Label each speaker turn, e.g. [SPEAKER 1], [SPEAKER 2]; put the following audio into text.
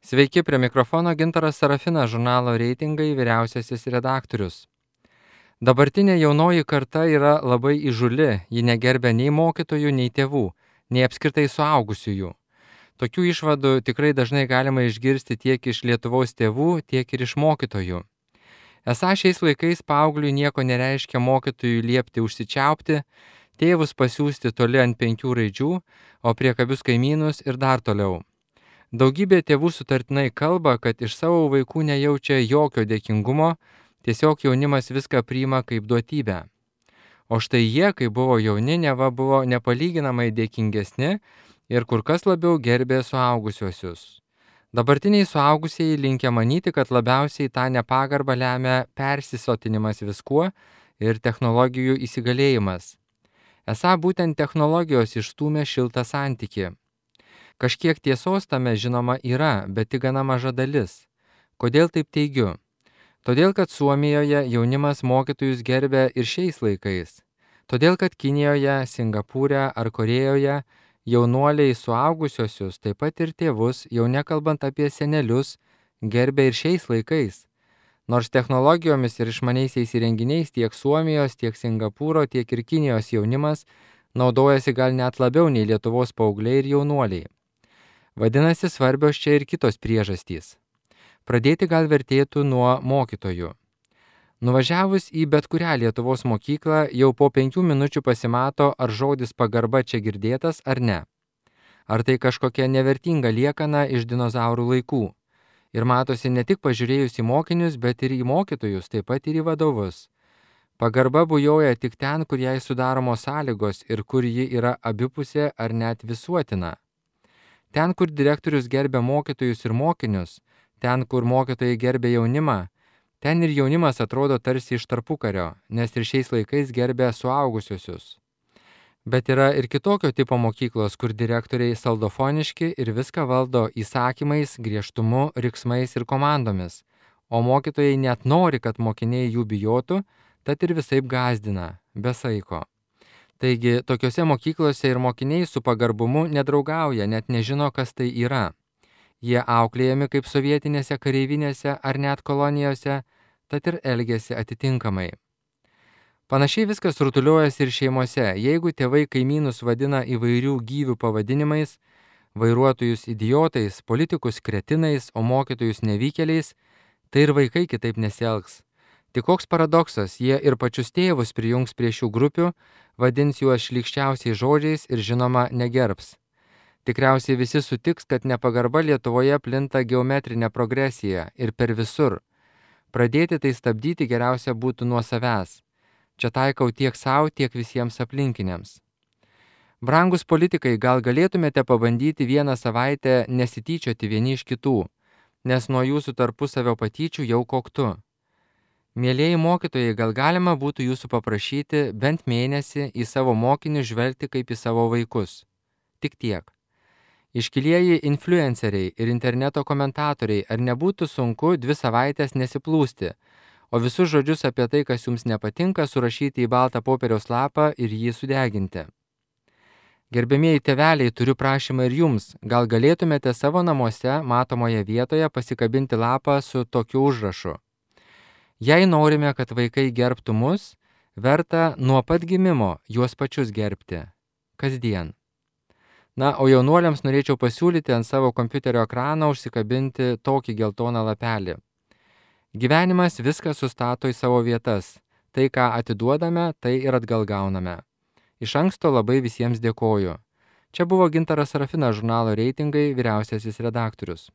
[SPEAKER 1] Sveiki, prie mikrofono Gintaras Sarafinas, žurnalo Reitingai vyriausiasis redaktorius. Dabartinė jaunoji karta yra labai įžūli, ji negerbia nei mokytojų, nei tėvų, nei apskritai suaugusiųjų. Tokių išvadų tikrai dažnai galima išgirsti tiek iš Lietuvos tėvų, tiek ir iš mokytojų. Esą šiais laikais paaugliui nieko nereiškia mokytojui liepti užsičiaupti, tėvus pasiųsti toli ant 5 raidžių, o priekabius kaimynus ir dar toliau. Daugybė tėvų sutartinai kalba, kad iš savo vaikų nejaučia jokio dėkingumo, tiesiog jaunimas viską priima kaip duotybę. O štai jie, kai buvo jauni, neva buvo nepalyginamai dėkingesni ir kur kas labiau gerbė suaugusiuosius. Dabartiniai suaugusieji linkę manyti, kad labiausiai tą nepagarbą lemia persisotinimas viskuo ir technologijų įsigalėjimas. Esą būtent technologijos išstūmė šiltą santykį. Kažkiek tiesos tame žinoma yra, bet tik gana maža dalis. Kodėl taip teigiu? Todėl, kad Suomijoje jaunimas mokytojus gerbia ir šiais laikais. Todėl, kad Kinijoje, Singapūre ar Korėjoje jaunuoliai suaugusiosius, taip pat ir tėvus, jau nekalbant apie senelius, gerbia ir šiais laikais. Nors technologijomis ir išmaniaisiais įrenginiais tiek Suomijos, tiek Singapūro, tiek ir Kinijos jaunimas naudojasi gal net labiau nei Lietuvos paaugliai ir jaunuoliai. Vadinasi, svarbios čia ir kitos priežastys. Pradėti gal vertėtų nuo mokytojų. Nuvažiavus į bet kurią Lietuvos mokyklą, jau po 5 minučių pasimato, ar žodis pagarba čia girdėtas ar ne. Ar tai kažkokia nevertinga liekana iš dinozaurų laikų. Ir matosi ne tik pažiūrėjus į mokinius, bet ir į mokytojus, taip pat ir į vadovus. Pagarba bujoja tik ten, kur jai sudaromos sąlygos ir kur ji yra abipusė ar net visuotina. Ten, kur direktorius gerbia mokytojus ir mokinius, ten, kur mokytojai gerbia jaunimą, ten ir jaunimas atrodo tarsi iš tarpukario, nes ir šiais laikais gerbia suaugusiuosius. Bet yra ir kitokio tipo mokyklos, kur direktoriai saldofoniški ir viską valdo įsakymais, griežtumu, riksmais ir komandomis, o mokytojai net nori, kad mokiniai jų bijotų, tad ir visaip gąsdina, be saiko. Taigi, tokiuose mokyklose ir mokiniai su pagarbumu nedraugauja, net nežino, kas tai yra. Jie auklėjami kaip sovietinėse kareivinėse ar net kolonijose, tad ir elgiasi atitinkamai. Panašiai viskas rutuliuojasi ir šeimose. Jeigu tėvai kaimynus vadina įvairių gyvių pavadinimais, vairuotojus idiotais, politikus kretinais, o mokytojus nevykėliais, tai ir vaikai kitaip nesielgs. Tik koks paradoksas, jie ir pačius tėvus prijungs prie šių grupių, vadins juos šlykščiausiais žodžiais ir žinoma negerbs. Tikriausiai visi sutiks, kad nepagarba Lietuvoje plinta geometrinė progresija ir per visur. Pradėti tai stabdyti geriausia būtų nuo savęs. Čia taikau tiek savo, tiek visiems aplinkiniams. Brangus politikai, gal galėtumėte pabandyti vieną savaitę nesityčioti vieni iš kitų, nes nuo jūsų tarpusavio patyčių jau koktu. Mielieji mokytojai, gal galima būtų jūsų paprašyti bent mėnesį į savo mokinius žvelgti kaip į savo vaikus. Tik tiek. Iškilieji influenceriai ir interneto komentatoriai, ar nebūtų sunku 2 savaitės nesiplūsti, o visus žodžius apie tai, kas jums nepatinka, surašyti į baltą popieriaus lapą ir jį sudeginti. Gerbėmieji tėveliai, turiu prašymą ir jums, gal galėtumėte savo namuose matomoje vietoje pasikabinti lapą su tokiu užrašu. Jei norime, kad vaikai gerbtų mus, verta nuo pat gimimo juos pačius gerbti. Kasdien. Na, o jaunuoliams norėčiau pasiūlyti ant savo kompiuterio ekrano užsikabinti tokį geltoną lapelį. Gyvenimas viską sustato į savo vietas. Tai, ką atiduodame, tai ir atgal gauname. Iš anksto labai visiems dėkoju. Čia buvo Gintaras Sarafinas, žurnalo Reitingai vyriausiasis redaktorius.